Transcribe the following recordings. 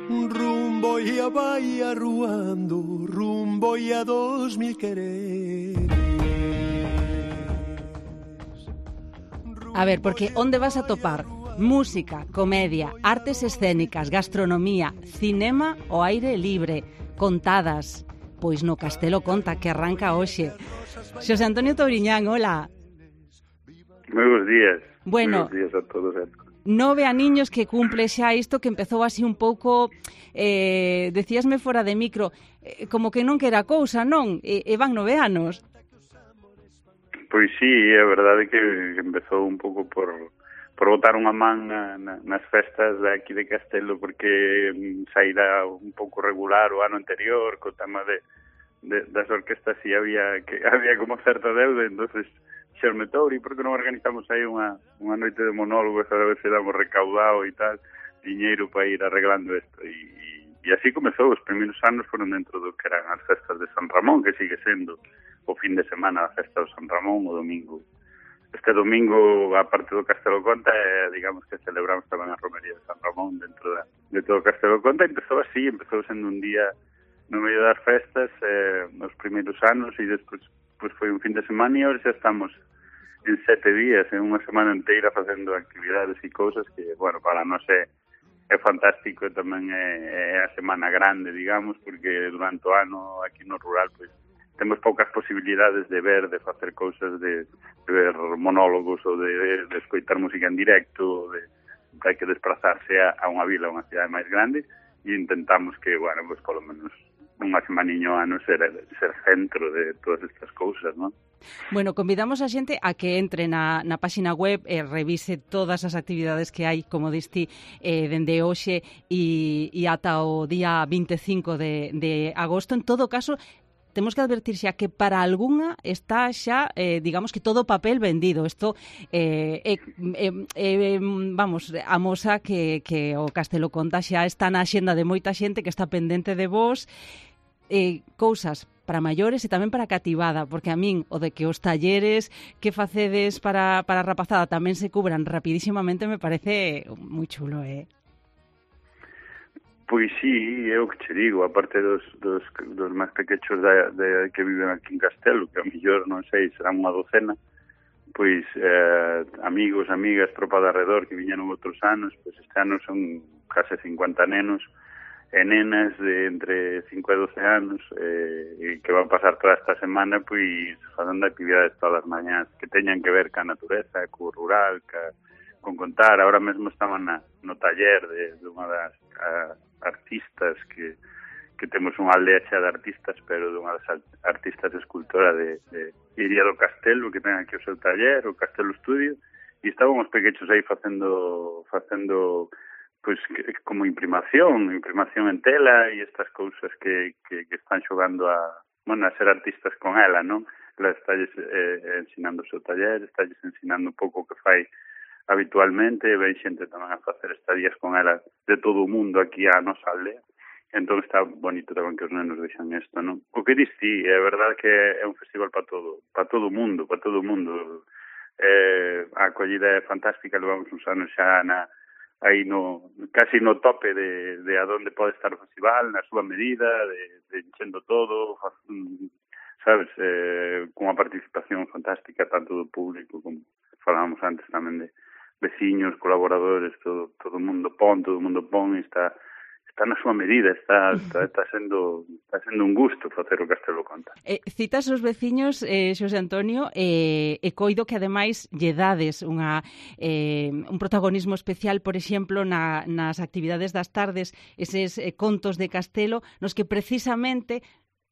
Rumbo e a vai arruando, rumbo e a 2000 quereres. A ver, porque onde vas a topar música, comedia, artes escénicas, gastronomía, cinema ao aire libre, contadas, pois no Castelo Conta, que arranca hoxe. Xosé Antonio Touriñán, hola. Moi bons días. Bueno, moi bons días a todos. 9 aniños que cumple xa isto que empezou así un pouco, decíasme fora de micro, como que non que era cousa, non? E van 9 anos. Pois sí, é verdade que empezou un pouco por botar unha man nas festas de aquí de Castelo, porque saíra un pouco regular o ano anterior, co tema das orquestas e había como certa deuda, entonces xerme Touri, porque non organizamos aí unha noite de monólogos a ver se damos recaudado e tal, diñeiro para ir arreglando isto, e así comezou. Os primeiros anos foron dentro do que eran as festas de San Ramón, que sigue sendo o fin de semana a festa do San Ramón, o domingo. Este domingo, a parte do Castelo Conta, digamos que celebramos tamén a romería de San Ramón dentro de todo o Castelo Conta. Empezou sendo un día no medio das festas, nos primeiros anos, e despois pues foi un fin de semana, e agora xa estamos en 7 días, en unha semana inteira facendo actividades e cousas que, bueno, para nós é fantástico, e tamén é a semana grande, digamos, porque durante o ano aquí no rural, pois, temos poucas posibilidades de ver, de facer cousas, de ver monólogos ou de escoitar música en directo, hai que desplazarse a unha vila, a unha cidade máis grande, e intentamos que, bueno, pues, polo menos unha semaniño ano ser centro de todas estas cousas, non? Bueno, convidamos a xente a que entre na páxina web e revise todas as actividades que hai, como diste, dende hoxe e ata o día 25 de agosto. En todo caso, temos que advertir xa que para algunha está xa, digamos que todo o papel vendido. Isto, vamos, amosa que o Castelo Conta xa está na axenda de moita xente que está pendente de vos, cousas para maiores e tamén para cativada, porque a min o de que os talleres que facedes para a rapazada tamén se cubran rapidísimamente me parece moi chulo, Pois sí, é o que che digo, aparte dos máis pequechos que viven aquí en Castelo, que a mellor, non sei, serán unha docena, pois amigos, amigas, tropa de arredor que viñeron outros anos, pois este ano son case 50 nenos e nenas de entre 5 e 12 anos que van pasar toda esta semana pois facendo actividades todas as mañás que teñan que ver ca natureza, co rural, con contar. Ahora mesmo estaban no taller de unha das artistas que temos unha aldea xa de artistas, pero de unha das artistas escultora de Iria do Castelo, que ten aquí o seu taller, o Castelo Estudio, e estaban os pequechos aí facendo pois como imprimación en tela e estas cousas que están xogando a ser artistas con ela, non? Ela está ensinando o seu taller, está ensinando un pouco o que fai habitualmente, ven xente tamén a facer estadías con ela de todo o mundo aquí a nosa aldea. Entón está bonito tamén que os nenos vexan isto, non? O que dis ti, é verdade que é un festival para todo o mundo, a acollida é fantástica, levamos uns anos xa aí casi no tope de a donde pode estar o festival, na súa medida, de enchendo todo, sabes, con unha participación fantástica tanto do público como falábamos antes tamén de veciños, colaboradores, todo o mundo pon, está na súa medida, está sendo un gusto facer o Castelo Conta. Citas os veciños, Xosé Antonio, e coido que ademais lle dades un protagonismo especial, por exemplo, nas actividades das tardes, eses contos de Castelo, nos que precisamente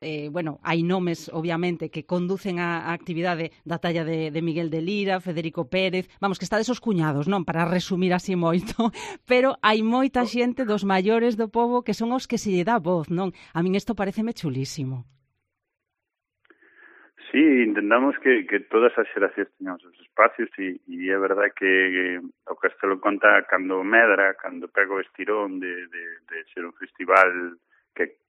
hai nomes, obviamente, que conducen a actividade da talla de Miguel de Lira, Federico Pérez, vamos, que estades os cuñados, non? Para resumir así moito, pero hai moita xente dos maiores do pobo que son os que se lle dá voz, non? A min isto pareceme chulísimo. Sí, intentamos que todas as xeracións teñamos os espacios e é verdade que o Castelo Conta cando medra, cando pega o estirón de ser un festival que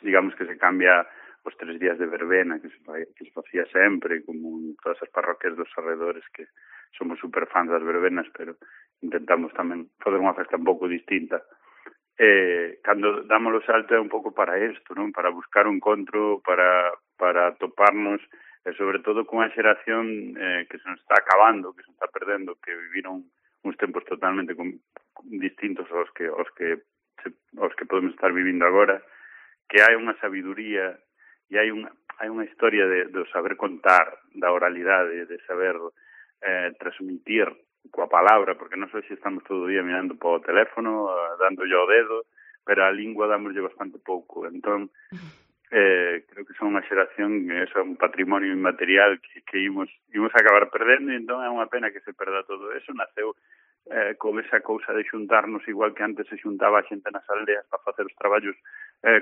digamos que se cambia os 3 días de verbena que se facía sempre, como en todas as parroquias dos arredores, que somos super fans das verbenas, pero intentamos tamén fazer unha festa un pouco distinta. cando damos o salto é un pouco para isto, non? Para buscar un encontro, para toparnos, e sobre todo cunha xeración que se nos está acabando, que se está perdendo, que viviron uns tempos totalmente distintos aos que podemos estar vivindo agora, que hai unha sabiduría e hai unha historia do saber contar, da oralidade, de saber transmitir coa palabra, porque nós hoxe estamos todo o día mirando para o teléfono, dándolle ao dedo, pero a lingua dámoslle bastante pouco. Entón, creo que son unha xeración, eso é un patrimonio inmaterial que imos acabar perdendo, e entón é unha pena que se perda todo eso. Naceu con esa cousa de xuntarnos igual que antes se xuntaba a xente nas aldeas para facer os traballos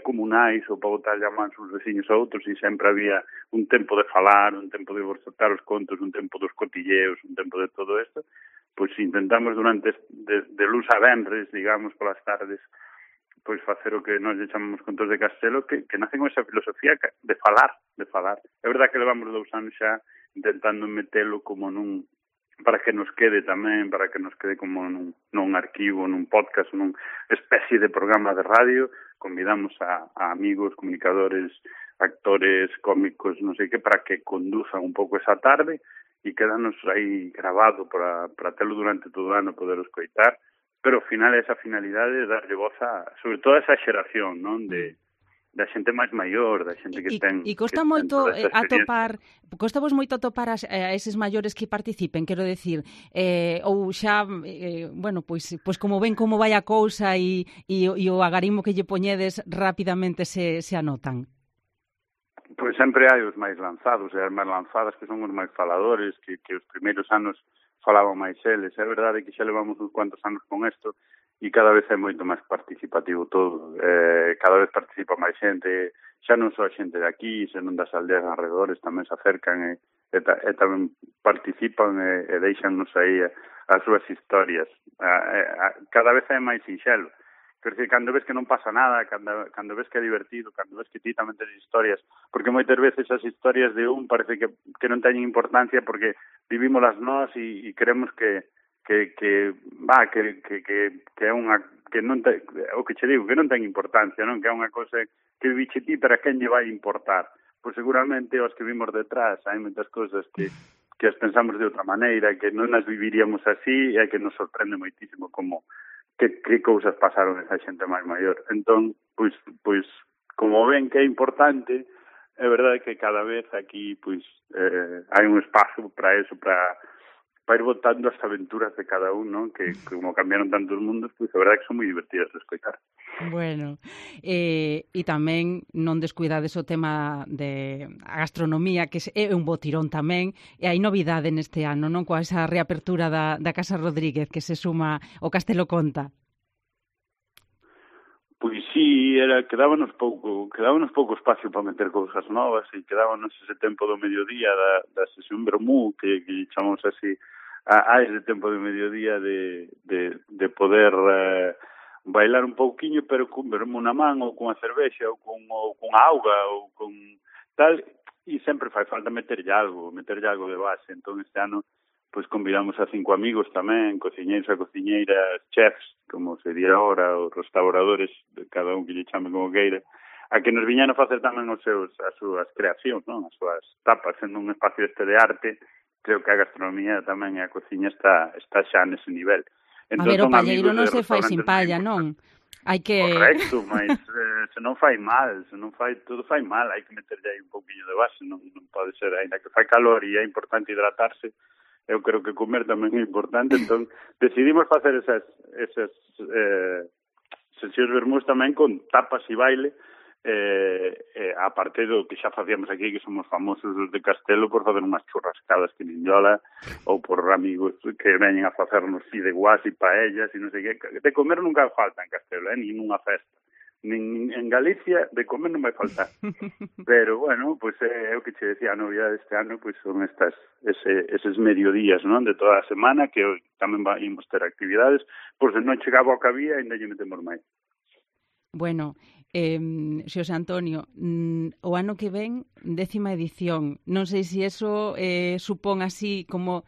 comunais ou para botar llamans uns veciños a outros, e sempre había un tempo de falar, un tempo de bocetar os contos, un tempo dos cotilleos, un tempo de todo isto. Pois intentamos durante de luz a venres, digamos, polas tardes, pois facer o que nós lle chamamos contos de Castelo, que nace con esa filosofía de falar. É verdade que levamos 2 anos xa intentando metelo como para que nos quede tamén, para que nos quede como nun arquivo, nun podcast, nun especie de programa de radio. Convidamos a amigos, comunicadores, actores, cómicos, non sei que, para que conduzan un pouco esa tarde e quedanos aí grabado para telo durante todo o ano, poder escoitar, pero ao final esa finalidade de darlle voz sobre todo a esa xeración, non? Da xente máis maior, da xente que ten... E costa moito costa vos moito atopar a eses maiores que participen, quero decir, ou xa, bueno, pois como ven como vai a cousa e o agarimo que lle poñedes rapidamente se anotan? Pois sempre hai os máis lanzados e as máis lanzadas que son os máis faladores, que os primeiros anos falaban máis eles. É verdade que xa levamos uns cuantos anos con isto e cada vez é moito máis participativo todo. Cada vez participa máis xente, xa non só a xente de aquí, senón das aldeas alrededores tamén se acercan e tamén participan e deixannos aí as súas historias. Cada vez é máis sinxelo. Quer dizer, cando ves que non pasa nada, cando ves que é divertido, cando ves que ti tamén tes historias, porque moitas veces as historias de parece que non teñen importancia porque vivímolas nós e creemos que é unha que non ten, o que che digo, que non ten importancia, non? Que é unha cousa que viviche ti, pero a quen lle vai importar? Pois seguramente os que vimos detrás hai moitas cousas que as pensamos de outra maneira, que non as viviríamos así e que nos sorprende moitísimo como que cousas pasaron esa xente máis maior. Entón, pois como ven que é importante, é verdade que cada vez aquí pois hai un espazo para eso, para ir botando as aventuras de cada un, non? Que como cambiaron tantos mundos, pois a verdade que son moi divertidas de escoitar. Bueno, e tamén non descuidades o tema de a gastronomía, que é un bo tirón tamén, e hai novidade neste ano, non? Coa esa reapertura da Casa Rodríguez que se suma o Castelo Conta. Pois sí, quedábanos pouco espacio para meter cousas novas e quedábanos ese tempo do mediodía da sesión vermú, que chamamos así, a ese tempo de mediodía de poder bailar un pouquiño, pero con vermú na man, ou con a cervexa, ou con a auga, ou con tal, e sempre fai falta meterlle algo de base. Entón este ano pois convidamos a 5 amigos tamén, cociñeiros e cociñeiras, chefs, como sería ahora, os restauradores, de cada un que lle chame como queira, a que nos viñan a facer tamén as súas creacións, non? As súas tapas, sendo un espacio de arte. Creo que a gastronomía tamén e a cociña está xa nese nivel. Entón, a ver, o palleiro non se fai sin palla, non? Hai que... Correcto, mas se non fai mal, todo fai mal, hai que meterlle aí un pouquinho de base, non pode ser, ainda que fai calor e é importante hidratarse, eu creo que comer tamén é importante, entón decidimos facer esas sesións vermús tamén con tapas e baile, a parte do que xa facíamos aquí, que somos famosos os de Castelo por facer unhas churrascadas que nin yola, ou por amigos que veñen a facernos fideuás e paellas e non sei que. De comer nunca falta en Castelo, nin nunha festa. Nin en Galicia de comer non vai faltar. Pero, bueno, pois é o que che decía, a novidade deste ano pois son eses mediodías, non? De toda a semana, que tamén imos ter actividades, pois se non chegaba ao que había, ainda lle metemos máis. Bueno, Xosé Antonio, o ano que ven, 10ª edición. Non sei se eso supón así como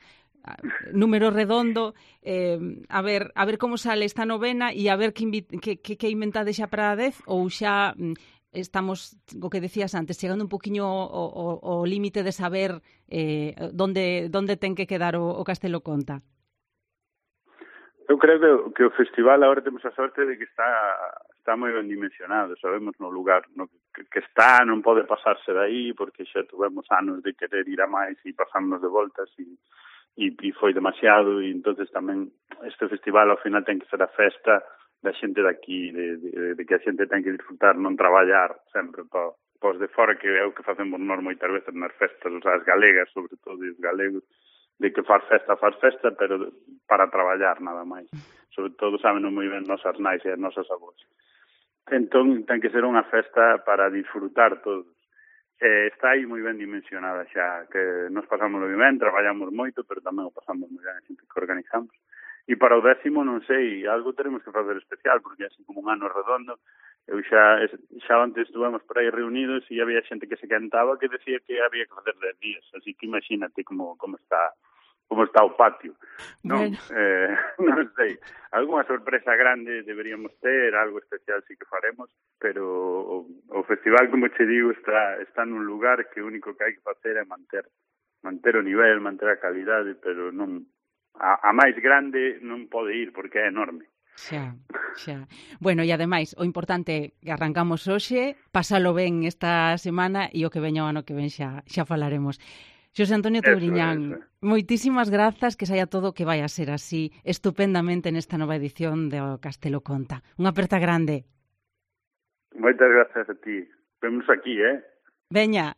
número redondo, a ver como sale esta novena e a ver que inventade xa para a 10 ou xa estamos, o que decías antes, chegando un poquinho ao límite de saber donde ten que quedar o Castelo Conta. Eu creo que o festival agora temos a sorte de que está moi ben dimensionado, sabemos no lugar no que está, non pode pasarse de aí, porque xa tuvemos anos de querer ir a máis e pasarnos de voltas e foi demasiado, e entonces tamén este festival ao final ten que ser a festa da xente daqui, de que a xente ten que disfrutar, non traballar sempre pos de fora, que é o que facemos nós moitas veces nas festas, as galegas, sobre todo os galegos, de que faz festa, pero para traballar nada máis. Sobre todo saben moi ben nosas nais e as nosas avós. Entón, ten que ser unha festa para disfrutar todos. Está aí moi ben dimensionada xa, que nos pasamos moi ben, traballamos moito, pero tamén o pasamos moi ben a xente que organizamos. E para o 10º, non sei, algo teremos que facer especial, porque é así como un ano redondo. Eu xa antes estuvemos por aí reunidos e había xente que se cantaba que decía que había que facer 10 días, así que imagínate como está o patio. Non, bueno. Non sei, algunha sorpresa grande deberíamos ter, algo especial sí que faremos, pero o festival, como che digo, está nun lugar que o único que hai que facer é manter o nivel, manter a calidade, pero non a máis grande non pode ir porque é enorme. Xa. Bueno, e ademais, o importante que arrancamos hoxe, pásalo ben esta semana e o que veña o ano que ven xa falaremos. Xosé Antonio Touriñán, moitísimas grazas, que saia todo que vai a ser así estupendamente nesta nova edición do Castelo Conta. Unha aperta grande. Moitas grazas a ti. Vemos aquí, Veña.